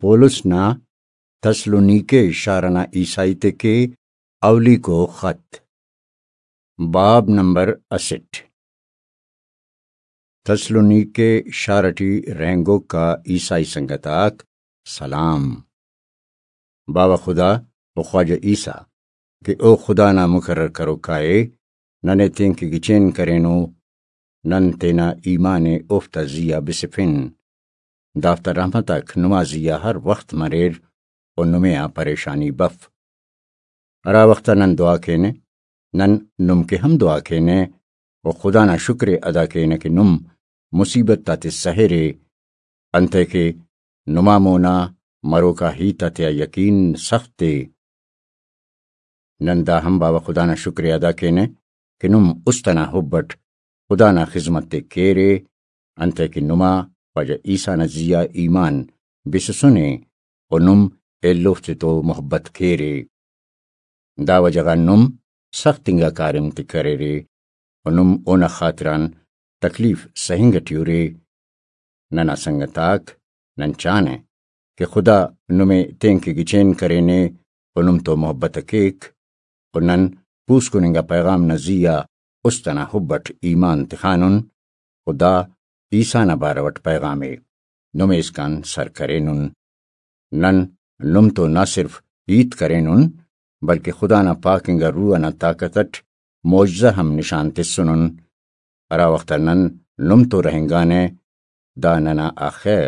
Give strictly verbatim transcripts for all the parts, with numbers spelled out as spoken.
پولس نا تسلونیکے شار ئنا عیسائی تے کے اولیکو خط۔ باب نمبر اسٹ۔ تسلونیکے شار ٹی رہینگوک آ عیسائی سنگت آک سلام۔ باوہ خدا و خواجہ عیسیٰ کہ او خدا نا مقرر کروکا ءِ، ننے تینکہ گچین کرینو، نن تینا ایمان ءِ اوفتا زی آ بسفن۔ دافتا رحمت آک نما زی آ ہر وخت مریر و نمے آ پریشانی بف۔ ہرا وخت آ نن دعا کینہ، نن نم کہ ہم دعا کینہ و خدا نا شکر ءِ ادا کینہ کہ نم مصیبت آتے سہرے، انتئے کہ نما مونا مروکا ہیت آتیا یقین سخت ءِ۔ نن دا ہم باوہ خدا نا شکر ءِ ادا کینہ کہ نم است ئنا حب اٹ خدا نا خذمت ءِ کیرے، انتئے کہ نما خواجہ عیسیٰ نا زی آ ایمان بسسنے و نم ایلوفتے تو محبت کیرے۔ دا وجہ غان نم سخت انگا کاریم تے کریرے و نم اونا خاطران تکلیف سہنگ ٹی ارے۔ ننا سنگت آک، نن چانہ کہ خدا نمے تینکہ گچین کرینے و نم تو محبت ءِ کیک، و نن پوسکن انگا پیغام نا زی آ است ئنا حب اٹ ایمان تخانن، و دا عیسیٰ نا بارو اٹ پیغام ءِ نمے اسکان سر کرینن۔ نن نم تو نہ صرف ہیت کرینن، بلکہ خدا نا پاک انگا روح ئنا طاقت اٹ معجزہ ہم نشان تسنن۔ ہرا وخت آ نن نم تو رہینگانہ، دا ننا آخہ،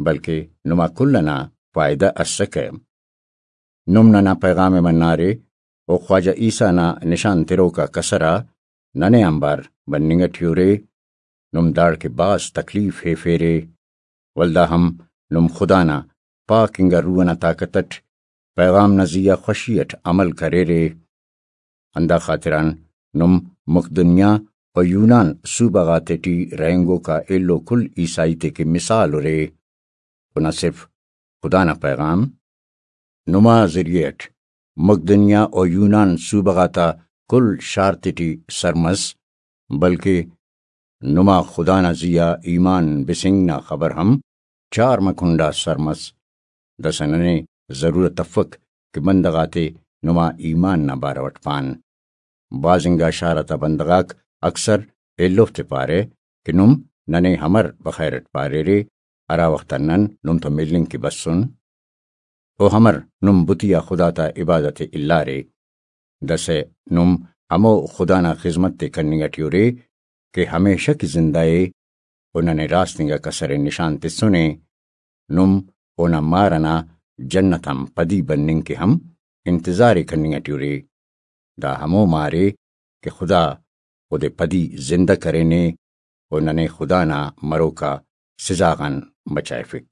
بلکہ نما کل ئنا فائدہ ئسکہ۔ نم ننا پیغام ءِ منارے و خواجہ عیسیٰ نا نشان تروکا کسر آ ننے آنبار بننگ ٹی ارے۔ نم داڑکہ بھاز تکلیف ہیفیرے، ولدا ہم نم خدا نا پاک انگا روح ئنا طاقت اٹ پیغام نا زی آ خوشی اٹ عمل کریرے۔ ہندا خاطران نم مقدونیہ و یونان صوبہ غاتے ٹی رہینگوکا ایلو کل عیسائی تے کہ مثال ارے، و نہ صرف خدا نا پیغام نما ذریعہ اٹ مقدونیہ و یونان صوبہ غاتا کل شار تیٹی سر مس، بلکہ نما خدا نا زی آ ایمان بسنگ نا خبر ہم چارمہ کنڈا سر مس۔ داسہ ننے ضرورت افک کہ بندغ آتے نما ایمان نا بارو اٹ پان۔ بھاز انگا شار آتا بندغ آک اکثر ایلوفتے پارہ کہ نم ننے ہمر بخیر اٹ پاریرے، ہرا وخت آ نن نم تو ملنگ کہ بسن؟ او ہمر نم بتی آ خدا تا عبادت ءِ الارے؟ داسہ نم ہمو خدا نا خذمت ءِ کننگ ٹی ارے کہ ہمیشہ کہ زندہ ءِ و ننے راست انگا کسر ءِ نشان تسنے۔ نم اونا مار ئنا جنت آن پدی بننگ کہ ہم انتظار ءِ کننگ ٹی ارے۔ دا ہمو مار ءِ کہ خدا اودے پدی زندہ کرینے و ننے خدا نا مروکا سزا غان بچائفک۔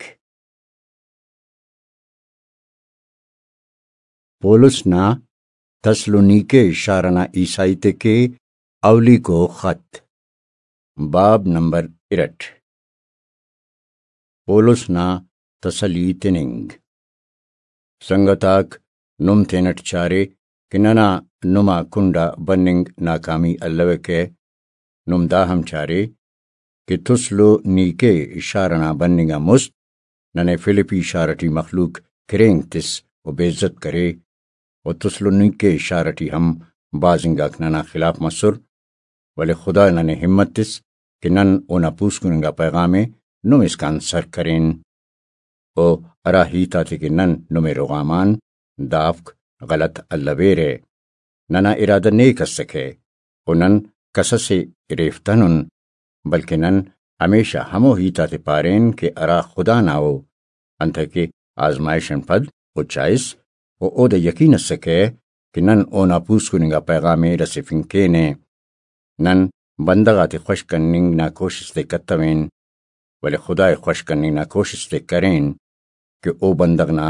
پولس نا تسلونیکے شار ئنا عیسائی تے کہ اولیکو خط۔ باب نمبر ارٹ۔ پولس نا تسلی تننگ۔ سنگت آک، نم تینٹ چارے کہ ننا نما کنڈا بننگ ناکامی الوکہ۔ نم دا ہم چارے کہ تسلونیکے شار ئنا بننگ آن مست ننے فلپی شار ٹی مخلوق کھرینگ تس و بے عزت کرے، و تسلونیکے شار ٹی ہم بھاز انگاک ننا خلاف مسر، ولے خدا ننے ہمت تس کہ نن اونا پوسکن انگا پیغام ءِ نم اسکان سر کرین۔ و ہرا ہیت آتے کہ نن نمے رغام آن، دافک غلط الویرہ۔ ننا ارادہ نیک اسکہ و نن کسس ءِ اریفتنن، بلکہ نن ہمیشہ ہمو ہیت آتے پارین کہ ہرا خدا نا ءُ، انتئے کہ آزمائش آن پد او چائس و اودے یقین اسکہ کہ نن اونا پوسکن انگا پیغام ءِ رسیفنگ کینہ۔ نن بندغ آتے خوش کننگ نا کوشست ءِ کتوین، ولے خدا ءِ خوش کننگ نا کوشست ءِ کرین کہ او بندغ نا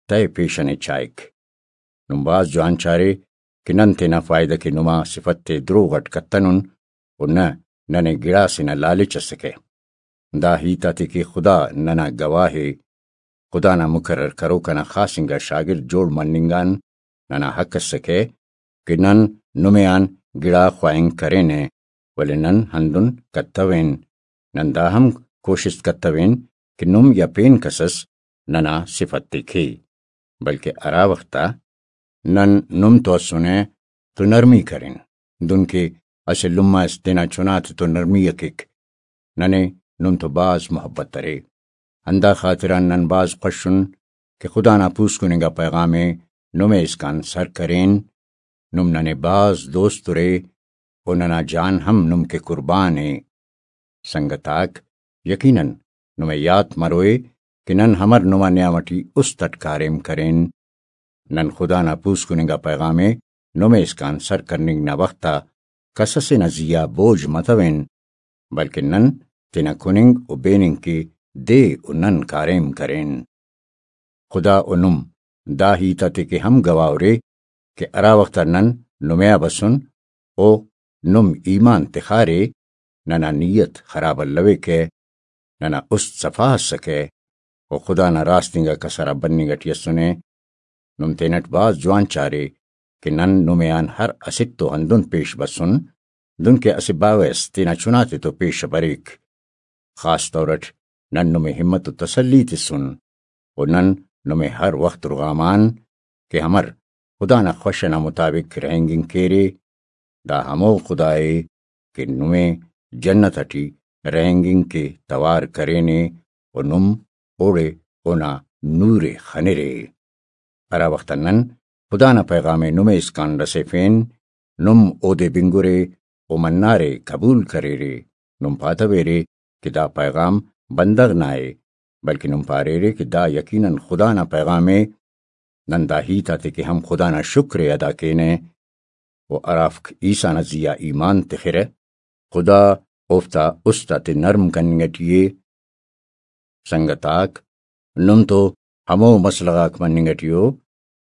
تہہ پیشن ءِ چائک۔ نم بھاز جوان چارے کہ نن تینا فائدہ کہ نما صفت ءِ دروغ اٹ کتنن و نہ ننے گڑاسے نا لالچ اسکہ۔ دا ہیت آتے کہ خدا ننا گواہ ءِ، خدا نا مقرر کروک ئنا خاص انگا شاگرد جوڑ مننگ آن ننا حق اسکہ کہ نن نمے آن گڑا خواہنگ کرینہ، ولے نن ہندن کتوین۔ نن دا ہم کوشست کتوین کہ نم یا پین کس اس ننا صفت تے کے، بلکہ ہرا وخت آ نن نم تو اسنے تو نرمی کرین، دنکہ اسہ لمہ اس تینا چنا تے تو نرمی ء کیک۔ ننے نم تو بھاز محبت ارے، ہندا خاطران نن بھاز خوش ان کہ خدا نا پوسکن انگا پیغام ء نمے اسکان سر کرین۔ نم ننے بھاز دوست ارے و ننا جان ہم نم کہ قربان ء۔ سنگت آک، یقیناً نمے یات مروئے کہ نن ہمر نما نیام ٹی است اٹ کاریم کرین۔ نن خدا نا پوسکن انگا پیغام ء نمے اسکان سر کننگ نا وخت آ کس اسے نا زی آ بوجھ متوین، بلکن نن تینا کننگ و بیننگ کے دے و نن کاریم کرین۔ خدا و نم دا ہیت آتے کہ ہم گواہ ارے کہ ہرا وخت آ نن نمے آ بسن و نم ایمان تخارے، ننا نیت خراب الویکہ، ننا است صفا اسکہ و خدا نا راست انگا کسر آ بننگ اٹی اسنے۔ نم تینٹ بھاز جوان چارے کہ نن نمے آن ہر اسٹ تو ہندن پیش بسن، دنکہ اسہ باوہ اس تینا چنا تے تو پیش بریک۔ خاص طور اٹ نن نمے ہمت و تسلی تسن و نن نمے ہر وخت رغام آن کہ ہمر خدا نا خوش ئنا مطابق رہینگنگ کیرے۔ دا ہمو خدا ء کہ نمے جنت اٹی رہینگنگ کے توار کرینے و نم اوڑے اونا نور ء خنرے۔ ہرا وخت آ نن خدا نا پیغام ء نمے اسکان رسیفین، نم اودے بنگرے و منارے، قبول کریرے۔ نم پاتویرے کہ دا پیغام بندغ نا ء، بلکہ نم پاریرے کہ دا یقیناً خدا نا پیغام ء۔ نن دا ہیت آتے کہ ہم خدا نا شکر ء ادا کینہ و ہرافک عیسیٰ نا زی آ ایمان تخرہ، خدا اوفتا است آتے نرم کننگ اٹی ء۔ سنگت آک، نم تو ہمو مسلغ آک مننگ اٹی ء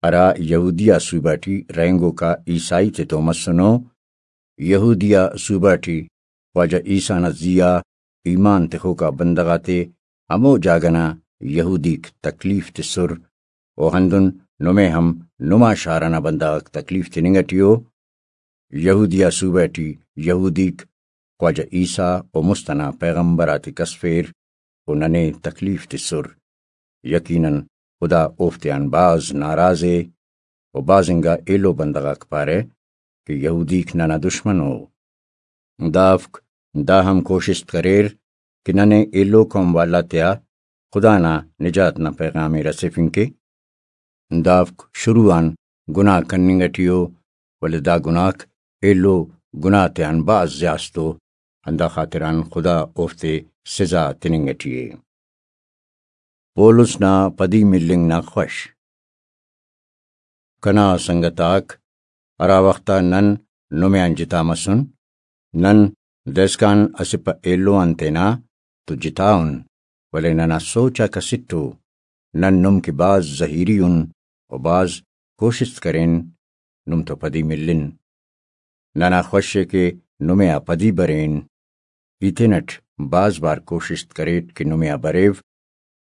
ہرا یہودیہ صوبہ ٹی رہینگوکا عیسائی تیتو مسنو۔ یہودیہ صوبہ ٹی خواجہ عیسیٰ نا زی آ ایمان تخوکا بندغ آتے ہمو جاگہ نا یہودیک تکلیف تسر، و ہندن نمے ہم نما شار ئنا بندغ آک تکلیف تننگ ٹی ء۔ یہودیہ صوبہ ٹی یہودیک خواجہ عیسیٰ و مست ئنا پیغمبر آتے کسفیر و ننے تکلیف تسر۔ یقیناً خدا اوفتیان بھاز ناراض ء و بھاز انگا ایلو بندغ آک پارہ کہ یہودیک ننا دشمن ء۔ دافک دا ہم کوشست کریر کہ ننے ایلو قوم والا تیا خدا نا نجات نا پیغام ء رسیفنگ کے۔ دافک شروع آن گناہ کننگ ٹی ء، ولے دا گناہک ایلو گناہ تیان بھاز زیاست ء، ہندا خاطران خدا اوفتے سزا تننگ ٹی ء۔ پولس نا پدی ملنگ نا خوش۔ کنا سنگت آک، ہرا وخت آ نن نمے آن جتا مسن، نن دائسکان اسہ پہ ایلو آن تینا تو جتا ان، ولے ننا سوچ آک اسٹ ء۔ نن نم کہ بھاز زہیری ان و بھاز کوشست کرین نم تو پدی ملن۔ ننا خوش ء کہ نمے آ پدی برین۔ ای تینٹ بھاز بار کوشست کریٹ کہ نمے آ بریو،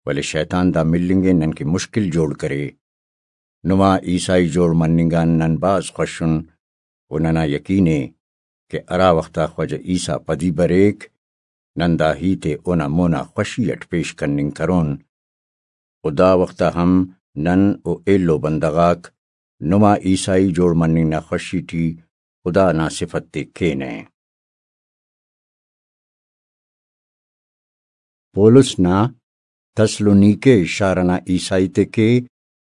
ولے شیطان دا ملنگ ء نن کہ مشکل جوڑ کرے۔ نما عیسائی جوڑ مننگ آن نن بھاز خوش ان و ننا یقین ء کہ ہرا وخت آ خواجہ عیسیٰ پدی بریک، نن دا ہیت ء اونا مونا خوشی اٹ پیش کننگ کرون۔ و دا وخت آ ہم نن و ایلو بندغ آک نما عیسائی جوڑ مننگ نا خوشی ٹی خدا نا صفت ء کینہ۔ پولس نا تسلونیکے شار ئنا عیسائی تے کے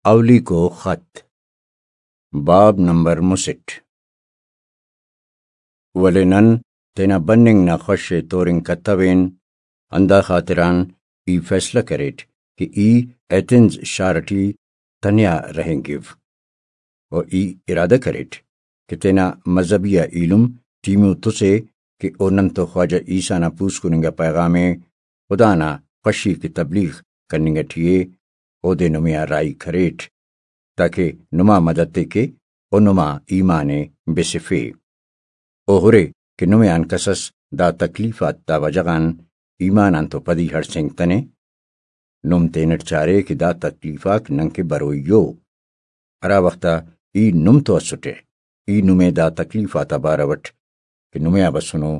اولیکو خط، باب نمبر مسٹ۔ ولے نن تینا بننگ نا خوش ء تورنگ کتوین، ہندا خاطران ای فیصلہ کریٹ کہ ای ایتھنز شار ٹی تنیا رہینگو۔ و ای ارادہ کریٹ کہ تینا مذہبی آ ایلم ٹیمو تسے کہ او نن تو خواجہ عیسیٰ نا پوسکن انگا پیغام ء خدا نا خوشی کہ تبلیغ کننگ ٹی ء، اودے نمے آ راہی کریٹ، تاکہ نما مدد ء کے و نما ایمان ء بسفے۔ او ہرے کہ نمے آن کسس دا تکلیف آتا وجہ غان ایمان آن تو پدی ہڑسینگتنے۔ نم تینٹ چارے کہ دا تکلیف آک ننکہ بروئی ء۔ ہرا وخت آ ای نم تو اسٹہ، ای نمے دا تکلیف آتا بارو اٹ کہ نمے آ بسنو،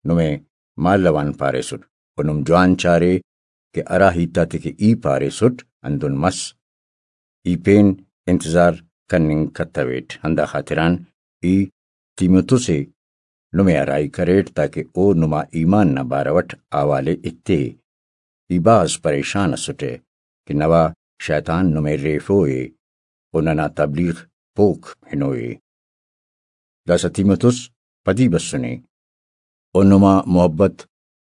نمے مالو آن پاریسٹ و نم جوان چارے کہ ہرا ہیت آتے کہ ای پاریسٹ، ہندن مس۔ ای پین انتظار کننگ کتویٹ، ہندا خاطران ای تیموتس ء نمے آ راہی کریٹ، تاکہ او نما ایمان نا بارو اٹ احوال ء ایتے۔ ای بھاز پریشان ئسٹہ کہ نوا شیطان نمے ریفو ء و ننا تبلیغ پوک ہنوئے۔ داسہ تیموتس پدی بسنے و نما محبت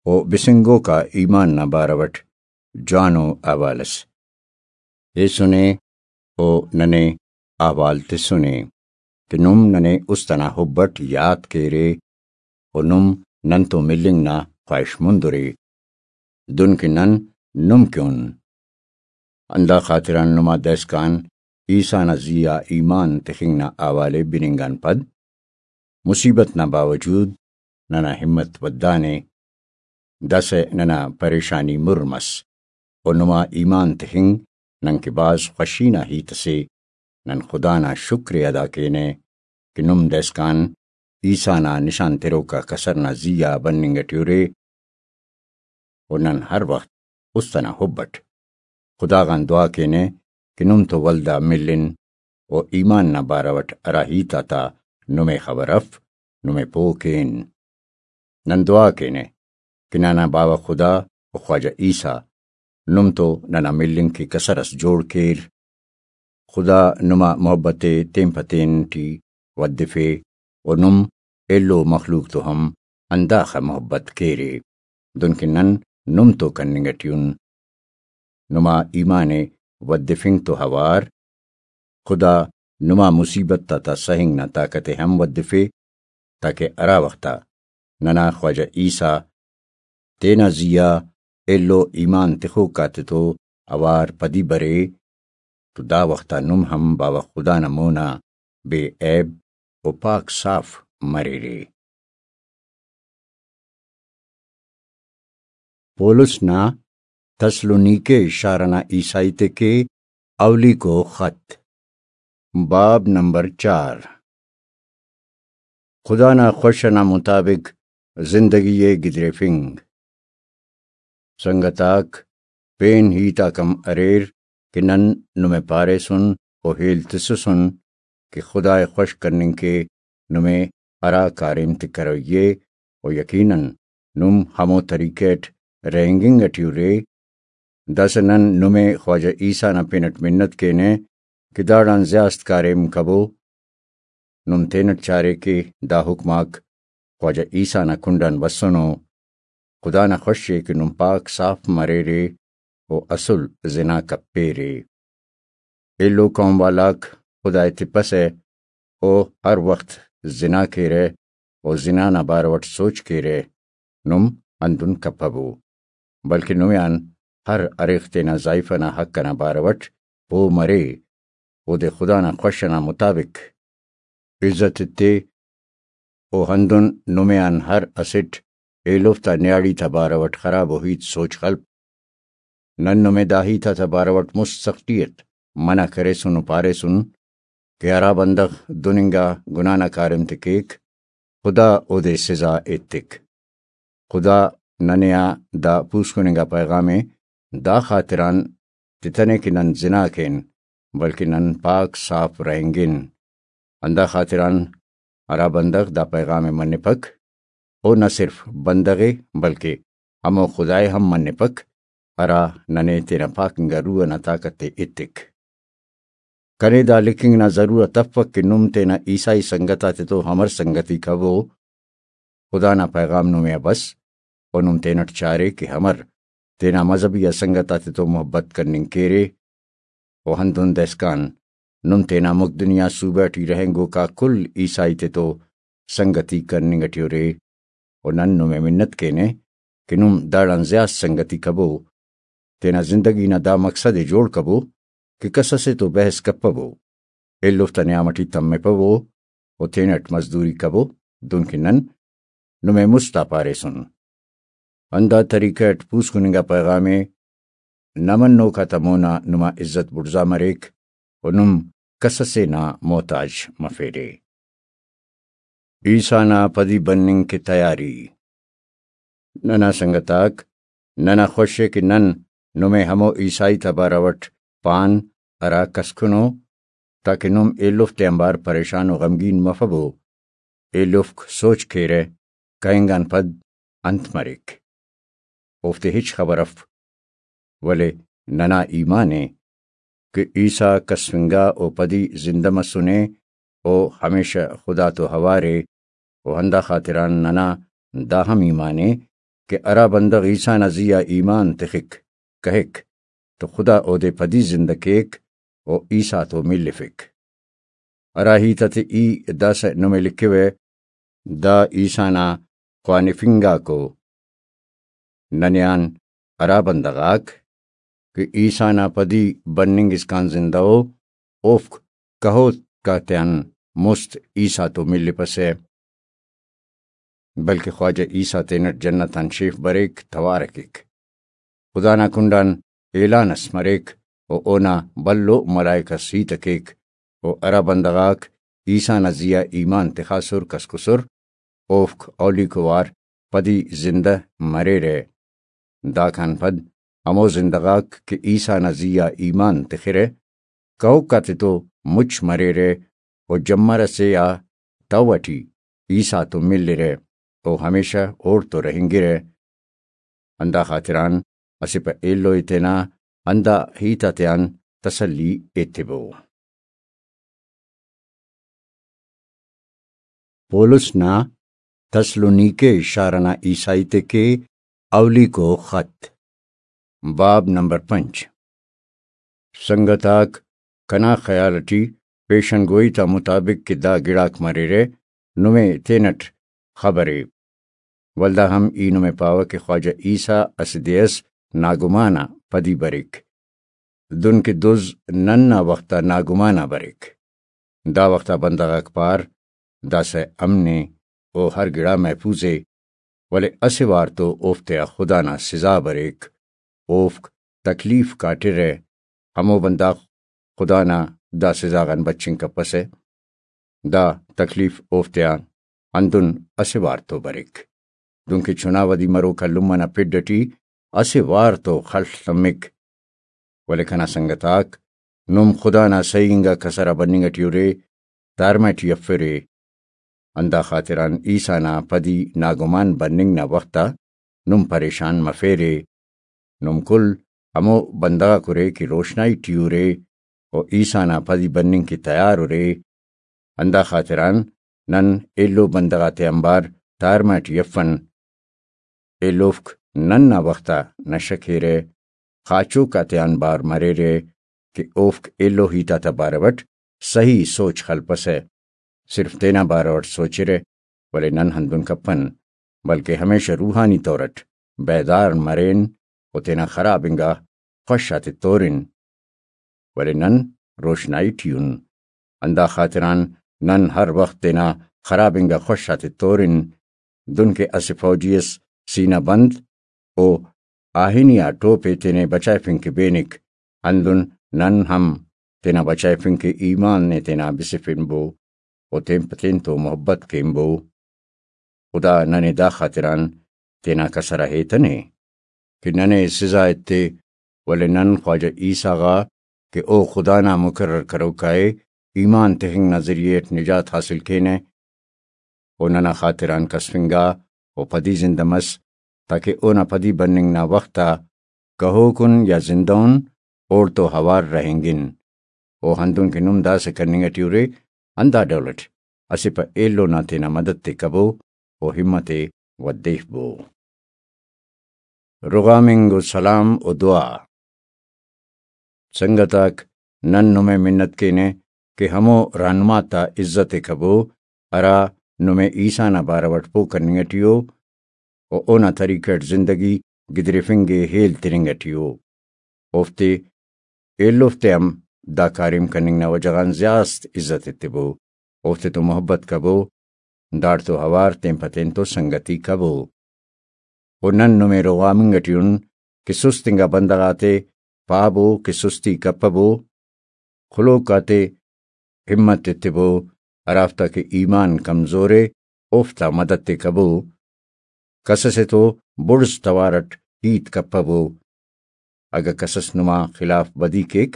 و بسنگوکا ایمان نا بارو اٹ جوانو احوال اس ایسنے و ننے احوال تسنے کہ نم ننے است انا حب اٹ یات کیرے و نم ننتون ملنگ نا خواہش مندرے، دن کہ نن نم کہ ان۔ ہندا خاطران نما دائسکان عیسیٰ نا زی آ ایمان تخنگ نا حوالے بننگ آن پد مصیبت نا باوجود ننا ہمت ودانے۔ داسہ ننا پریشانی مر مس و نما ایمان تخنگ ننکہ بھاز خوشی نا ہیت اسے۔ نن خدا نا شکر ء ادا کینہ کہ نم دائسکان عیسیٰ نا نشان تروکا کسر نا زی آ بننگ اٹی ارے و نن ہر وخت است انا حب اٹ خدا غان دعا کینہ کہ نم تو ولدا ملن و ایمان نا بارو اٹ ہرا ہیت آتا نمے خبر اف، نمے پوہ کین۔ نن دعا کینہ کہ ننا باوہ خدا و خواجہ عیسیٰ نم تو ننا ملنگ کہ کسر اس جوڑ کیر۔ خدا نما محبت ء تین پہ تین ٹی ودفے و نم ایلو مخلوق تو ہم ہنداخہ محبت کیرے، دنکہ نن نم تو کننگ اٹی ان۔ نما ایمان ء ودفنگ تو اوار خدا نما مصیبت آتا سہنگ نا طاقت ء ہم ودفے، تاکہ ہرا وخت آ ننا خواجہ عیسیٰ تینا زی آ ایلو ایمان تخوک آتتو اوار پدی برے تو دا وخت آ نم ہم باوہ خدا نا مونا بے عیب و پاک صاف مریرے۔ پولس نا تسلونیکے شار ئنا عیسائی تے کہ اولیکو خط، باب نمبر چار۔ خدا نا خوش ئنا مطابق زندگی ء گدریفنگ۔ سنگت آک، پین ہیت آک ہم اریر کہ نن نمے پاریسن و ہیل تسسن کہ خدا ء خوش کننگ کے نمے ہرا کاریم تے کروئی ء، و یقیناً نم ہمو طریقہ اٹ رہینگنگ اٹی ارے۔ داسہ نن نمے خواجہ عیسیٰ نا پن اٹ منت کینہ کہ داڑان زیات کاریم کبو۔ نم تینٹ چارے کہ دا حکم آک خواجہ عیسیٰ نا کنڈ آن بسنو۔ خدا نا خوش ء کہ نم پاک صاف مریرے و اسل زنا کپیرے۔ ایلو قوم والاک خدا ء تپسہ، او ہر وخت زنا کیرہ و زنا نا بارو اٹ سوچ کیرہ، نم ہندن کپبو، بلکہ نمے آن ہر ہریخ تینا زائیفہ نا حق ئنا بارو اٹ پہہ مرے، اودے خدا نا خوش ئنا مطابق عزت ایتے، و ہندن نمے آن ہر اسٹ ایلوفتا نیاڑی تا بارو اٹ خرابو ہیت سوچ خلپ۔ نن نمے دا ہیت آتا بارو اٹ مست سختی اٹ منع کریسن و پاریسن کہ ہرا بندغ دن انگا گناہ نا کاریم تے کیک، خدا اودے سزا ایتک۔ خدا ننے آ دا پوسکن انگا پیغام ء دا خاطران تتنے کہ نن زنا کین، بلکہ نن پاک صاف رہینگن۔ ہندا خاطران ہرا بندغ دا پیغام ء منپک، او نہ صرف بندغ ء بلکہ ہمو خدائے ہم منپک، ہرا ننے تینا پاک انگا روح ئنا طاقت ء ایتک۔ کنے دا لکھنگ نا ضرورت افک کہ نم تینا عیسائی سنگت آتتو ہمر سنگتی کبو۔ خدا نا پیغام نمے آ بس، و نم تینٹ چارے کہ ہمر تینا مذہبی آ سنگت آتتو محبت کننگ کیرے، و ہندن دائسکان نم تینا ملک دنیا صوبہ ٹی رہینگوکا کل عیسائی تتو سنگتی کننگ ٹی ارے، و نن نمے منت کینہ کہ نم داڑان زیات سنگتی کبو، تینا زندگی نا دا مقصد ء جوڑ کبو کہ کس اسے تو بحث کپبو، ایلوفتا نیام ٹی تمپبو و تینٹ مزدوری کبو، دنکہ نن نمے مست آ پاریسن۔ ہندا طریقہ اٹ پوسکن انگا پیغام ء نہ منوک آتا مونا نما عزت بڑزا مریک و نم کس اسے نا محتاج مفیرے۔ عیسیٰ نا پدی بننگ کہ تیاری۔ ننا سنگت آک، ننا خوش ءِ کہ نن نمے ہمو عیسائی تا بارو اٹ پان ہرا کسکنو، تاکہ نم ایلوفتے آنبار پریشان و غمگین مفبو۔ ایلوفک سوچ کیرہ، کہنگ آن پد انت مریک؟ اوفتے ہچ خبر اف، ولے ننا ایمان ءِ کہ عیسیٰ کسفنگا و پدی زندہ مسنے، او ہمیشہ خدا تو اوار ءِ۔ و ہندا خاطران ننا دا ہم ایمان ءِ کہ ہرا بندغ عیسیٰ نا زی آ ایمان تخک، کہک، تو خدا اودے پدی زندہ کیک و عیسیٰ تو ملفک۔ ہرا ہیت آتے ای داسہ نمے لکھوہ، دا عیسیٰ نا خوانفنگاکو۔ ننے آن ہرا بندغ آک کہ عیسیٰ نا پدی بننگ اسکان زندہ ءُ، اوفک کہوک آتیان مست عیسیٰ تو ملپسہ، بلکہ خواجہ عیسیٰ تینٹ جنت آن شیف بریک، توار ءِ کیک۔ خدا نا کنڈان اعلان اس مریک و اونا بھلو ملائک اس ہیت ءِ کیک، و ہرا بندغ آک عیسیٰ نا زی آ ایمان تخاسر، کسکسر، اوفک اولیکو وار پدی زندہ مریرہ۔ داکان پد ہمو زندہ غاک کہ عیسیٰ نا زی آ ایمان تخرہ، کہوک آتتو مچ مریرہ و جمر ئسے آ تہو ئٹی عیسیٰ تو ملرہ و ہمیشہ اوڑتو رہینگرہ۔ ہندا خاطران اسہ پہ ایلو ءِ تینا ہندا ہیت آتیان تسلی ایتبو۔ پولس نا تسلونیکے شار ئنا عیسائی تے کے اولیکو خط، باب نمبر پنچ۔ سنگت آک، کنا خیال ٹی پیشن گوئی تا مطابق کہ دا گڑاک مریرہ، نمے تینٹ خبرے۔ ولدا ہم ای نمے پاوہ کہ خواجہ عیسیٰ اسہ دے ئس ناگمان آ پدی بریک، دن کہ دز نن نا وخت آ ناگمان آ بریک۔ دا وخت آ بندغ آک پار، داسہ امن ءِ، او ہر گڑا محفوظ ءِ، ولے اسہ وار تو اوفتیا خدا نا سزا بریک، اوفک تکلیف کاٹرہ۔ ہمو بندغ خدا نا دا سزا غان بچنگ کپسہ۔ دا تکلیف اوفتیا ہندن اسہ وار تو بریک، دنکہ چنا ودی مروکا لمہ نا پڈ اٹی اسہ وار تو خل تمک۔ ولے کنا سنگت آک، نم خدا نا سہی انگا کسر آ بننگ اٹی ارے، تارمہ ٹی افرے۔ ہندا خاطران عیسیٰ نا پدی ناگمان بننگ نا وخت آ نم پریشان مفیرے۔ نم کل ہمو بندغ آک ارے کہ روشنائی ٹی ارے و عیسیٰ نا پدی بننگ کہ تیار ارے۔ ہندا خاطران نن ایلو بندغ آتے آنبار تارمہ ٹی افن۔ ایلوفک نن نا وخت آ نشہ کیرہ، خاچوک آتیان بار مریرہ کہ اوفک ایلو ہیت آتا بارو اٹ سہی سوچ خلپسہ، صرف تینا بارو اٹ سوچرہ، ولے نن ہندن کپن، بلکہ ہمیشہ روحانی طور اٹ بیدار مرین و تینا خراب انگا خوش آتے تورن۔ ولے نن روشنائی ٹی ان۔ ہندا خاطران نن ہر وخت تینا خراب انگا خوش آتے تورن۔ دنکہ اسہ فوجی اس سینہ بند و آہنی آ ٹوپ ءِ تینے بچائفنگ کہ بینک، ہندن نن ہم تینا بچائفنگ کہ ایمان ءِ تینا بسفنبو و تین پہ تین تو محبت کینبو۔ خدا ننے دا خاطران تینا کسر آ ہیتنے کہ ننے سزا ایتے، ولے نن خواجہ عیسیٰ غا کہ او خدا نا مقرر کروکا ءِ، ایمان تخنگ نا ذریعہ اٹ نجات حاصل کینہ۔ او ننا خاطران کسفنگا و پدی زندہ مس، تاکہ اونا پدی بننگ نا وخت آ کہوکن یا زندہ ان اوڑتو اوار رہینگن۔ او ہندن کہ نم داسہ کننگ اٹی ارے، ہندا ڈول اٹ اسہ پہ ایلو نا تینا مدد تے کبو و ہمت ءِ ودیفبو۔ رغامنگ و سلام و دعا۔ سنگت آک، نن نمے منت کینہ کہ ہمو رہنما تا عزت ءِ کبو، ہرا نمے عیسیٰ نا بارو اٹ پہہ کننگ اٹی ءُ و اونا طریقہ اٹ زندگی گدریفنگ ءِ ہیل تننگ اٹی ءُ۔ اوفتے ایلوفتے ہم دا کاریم کننگ نا وجہ غان زیات عزت ایتبو، اوفتے تو محبت کبو، داڑتو اوار تین پہ تین تو سنگتی کبو۔ و نن نمے رغامنگ اٹی ان کہ سست انگا بندغ آتے پابو کہ سستی کپبو، خلوک آتے ہمت ایتبو، ہرافتا کہ ایمان کمزور ءِ، اوفتا مدد ءِ کبو۔ کس اسے تو بڑز توار اٹ ہیت کپبو۔ اگہ کسس نما خلاف بدی کیک،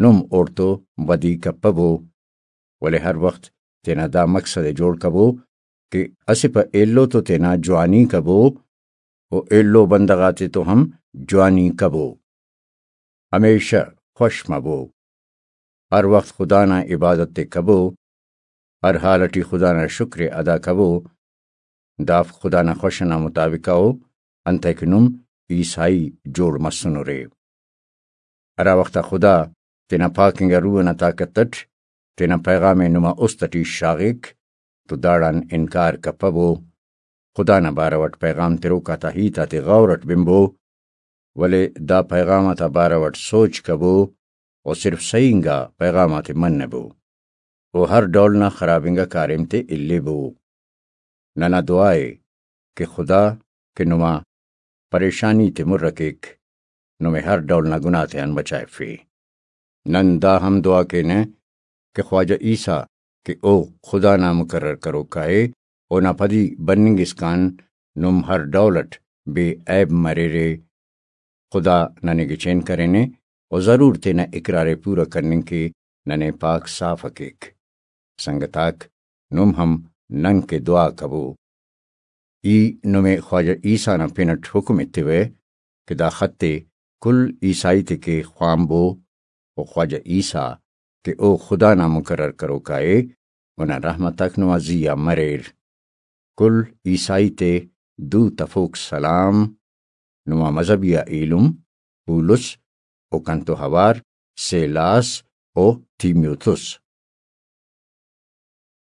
نم اوڑتو بدی کپبو۔ ولے ہر وخت تینا دا مقصد ءِ جوڑ کبو کہ اسہ پہ ایلو تو تینا جوانی کبو و ایلو بندغ آتے تو ہم جوانی کبو۔ ہمیشہ خوش مبو۔ ہر وخت خدا نا عبادت ءِ کبو۔ ہر حال ٹی خدا نا شکر ءِ ادا کبو۔ دافک خدا نا خوش ئنا مطابق ءُ، انتئے کہ نم عیسائی جوڑ مسنرے۔ ہرا وخت آ خدا تینا پاک انگا روح ئنا طاقت ئٹ تینا پیغام ءِ نما است ٹی شاغک تو داڑان انکار کپبو۔ خدا نا بارو ئٹ پیغام تروک آتا ہیت آتے غور ئٹ بنبو، ولے دا پیغام آتا بارو ئٹ سوچ کبو و صرف صحیح انگا پیغام آتے منبو و ہر ڈول نا خراب انگا کاریم تے الیبو۔ ننا دعا ءِ کہ خدا کہ نما پریشانی تے مر کیک، نمے ہر ڈول نا گناہ تیان بچائفے۔ نن دا ہم دعا کینہ کہ خواجہ عیسیٰ کہ او خدا نا مقرر کروکا ءِ، اونا پدی بننگ اسکان نم ہر ڈول ئٹ بے عیب مریرے۔ خدا ننے گچین کرینے و ضرور تینا اقرار ءِ پورا کننگ کہ ننے پاک صاف کیک۔ سنگتاک، نم ہم نن کہ دعا کبو۔ ای نمے خواجہ عیسیٰ نا پن ئٹ حکم ایتیوہ کہ دا خط ءِ کل عیسائی تے کہ خوانبو و خواجہ عیسیٰ کہ او خدا نا مقرر کروکا ءِ، اونا رحمت آک نما زی آ مریر۔ کل عیسائی تے دو تفوک سلام۔ نما مذہبی آ ایلم پولس و کنتو اوار سیلاس و تیموتھس۔